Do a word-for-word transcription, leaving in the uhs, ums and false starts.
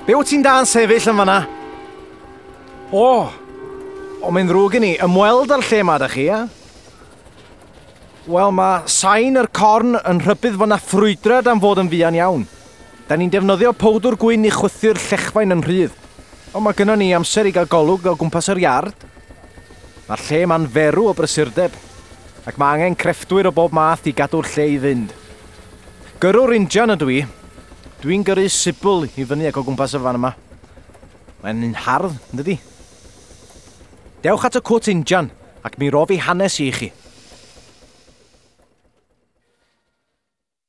Be wyt ti'n da'n sefyll yn fanna? O! O, mae'n ddrwg gen i. Ymweld â'r lle 'ma da chi, ia? Wel, mae sain yr corn yn rhybudd fod 'na ffrwydrad am fod yn fuan iawn. Da ni'n defnyddio powdwr gwyn i chwythu'r llechfaen yn rhydd. Ond mae gynnon ni amser i gael golwg o gwmpas yr iard. Mae'r lle 'ma'n ferw o brysurdeb, ac mae angen crefftwyr o bob math i gadw'r lle i fynd. Gyrrwr injan ydw i. Dwi'n gyrru sibl i fyny ac o gwmpas y fan yma. Mae'n un hardd, yn dydi? Dewch at y cwt injan, ac mi rof i hanes i chi.